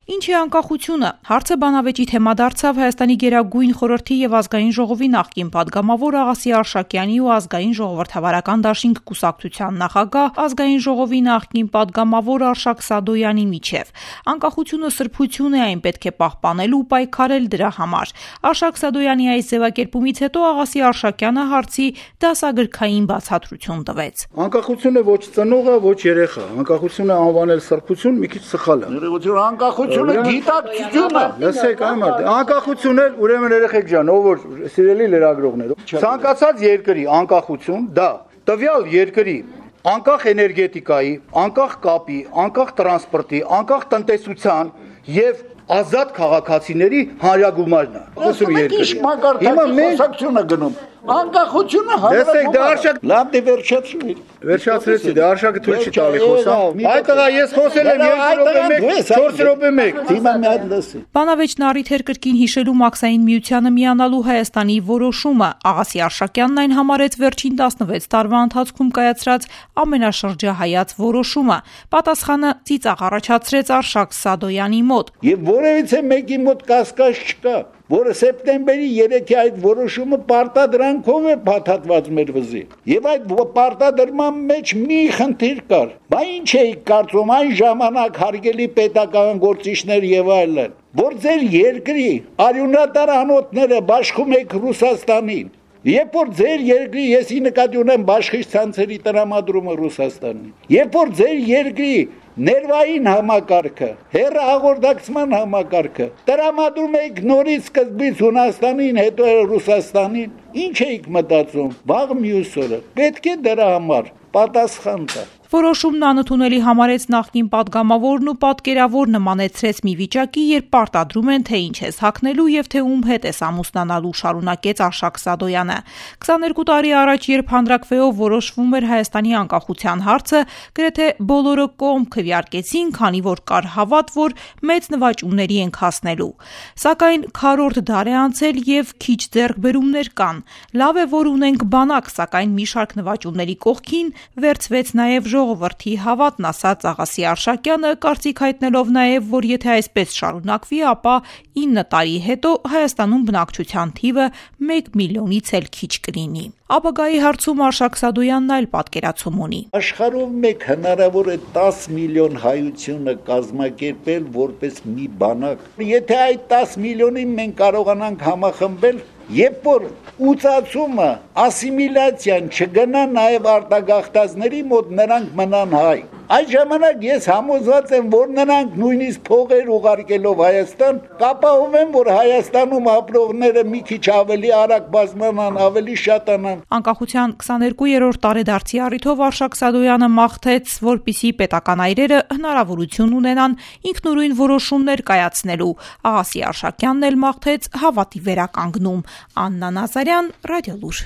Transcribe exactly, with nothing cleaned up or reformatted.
Ինչ է անկախությունը։ Հարցը բանավեճի թեմա դարձավ Հայաստանի Գերագույն խորհրդի եւ Ազգային ժողովի նախկին падգամավոր Աղասի Արշակյանի ու Ազգային ժողովրդավարական դաշինք կուսակցության նախագահ, Ազգային ժողովի նախկին падգամավոր Արշակ Սադոյանի միջև։ Անկախությունը սրբություն է, այն պետք է պահպանել ու պայքարել դրա համար։ Արշակ Սադոյանի այս ձևակերպումից հետո Աղասի Արշակյանը հարցի դասագրքային բացատրություն տվեց։ Անկախությունը ոչ ծնողը, ոչ երեխա։ Անկախությունը անվանել սրբություն մի քիչ սխալ է։ Անկախությունը գիտակցությունը։ Լսեք, այ մարդ, անկախություն էլ ուրեմն երեխեք ջան, ով որ սիրելի լրագրողներ, ցանկացած երկրի անկախություն դա տվյալ երկրի անկախ էներգետիկայի, անկախ կապի, անկախ տրանսպորտի, անկախ տնտեսության եւ ազատ քաղաքացիների հանրագումարն է։ Խոսում երկրի։ Հիմա մենք խոսակցությունը գնում։ Անկախությունը Դեսեք, դա Արշակ լավ դե վերջացրու։ Վերջացրեցի, դա Արշակը թույլ չի տալի խոսամ։ Այդ տղա ես խոսել եմ երկու րոպե մեկ, չորս րոպե մեկ։ Հիմա մի հատ լսի։ Բանավեճն առիթ էր կրկին հիշելու Մաքսային միությանը միանալու Հայաստանի որոշումը։ Աղասի Արշակյանն այն համարեց վերջին տասնվեց տարվա ընթացքում կայացրած ամենաշրջահայաց որոշումը։ Պատասխանը ծիծաղ առաջացրեց Արշակ Սադոյանի մոտ։ Եվ որևիցե մեկի մոտ կասկած չկա, որը սեպտեմբերի երեքի այդ որոշումը պարտադրանքով է փաթաթված մեր վզի։ Եվ այդ պարտադրման մեջ մի խնդիր կար։ Բա ինչ էի կարծում այն ժամանակ հարգելի պետական գործիչներ եւ այլն, որ ձեր երկրի արյունատար անոթները բաշխում եք Ռուսաստանին։ Երբ որ ձեր երկրի, ես ի նկատի ունեմ բաշխիչ ցանցերի տրամադրումը Ռուսաստանին, երբ որ ձեր երկրի ներվային համակարգը, հեռահաղորդակցման համակարգը տրամադրում եք նորից սկզբից Հունաստանին, հետո Ռուսաստանին, ինչ էիք մտածում, վաղ մյուս օրը պետք է դրա համար պատասխան տա։ Որոշումն անընդունելի համարեց նախկին падգամավորն ու պատկերավոր նմանեցրեց մի վիճակի, երբ պարտադրում են, թե ինչ ես հագնելու եւ թե ում հետ ես ամուսնանալու, շարունակեց Արշակ Սադոյանը։ քսաներկու տարի առաջ, երբ հանրաքվեով որոշվում էր Հայաստանի անկախության հարցը, գրեթե բոլորը կողմ քվեարկեցին, քանի որ կար հավատ, որ մեծ նվաճումների ենք հասնելու։ Սակայն քառորդ դար է անցել եւ քիչ ձեռքբերումներ կան։ Լավ է, որ ունենք բանակ, սակայն մի շարք նվաճումների կողքին վերցվեց նաեւ ժողովրդի հավատն, ասաց Աղասի Արշակյանը, կարծիք հայտնելով նաև, որ եթե այսպես շարունակվի, ապա ինը տարի հետո Հայաստանում բնակչության թիվը մեկ միլիոնից էլ քիչ կլինի։ Ապագայի հարցում Արշակ Սադոյանն այլ պատկերացում ունի։ Աշխարհով մեկ հնարավոր է տաս միլիոն հայությունը կազմակերպել որպես մի բանակ։ Եթե այդ տաս միլիոնին մենք կարողանանք համախմբել, երբ որ ուծացումը, ասիմիլյացիան չգնա նաև արտագաղթածների մոտ, նրանք մնան հայ։ Այդ ժամանակ ես համոզված եմ, որ նրանք նույնիսկ փողեր ուղարկելով Հայաստան, կապահովեն, որ Հայաստանում ապրողները մի քիչ ավելի արագ բազմանան, ավելի շատանան։ Անկախության քսաներկուերորդ տարեդարձի առիթով Արշակ Սադոյանը մաղթեց, որպիսի պետական այրերը հնարավորություն ունենան ինքնուրույն որոշումներ կայացնելու։ Աղասի Արշակյանն էլ մաղթեց հավատի վերականգնում։ Աննա Նազարյան, Ռադիոլուր։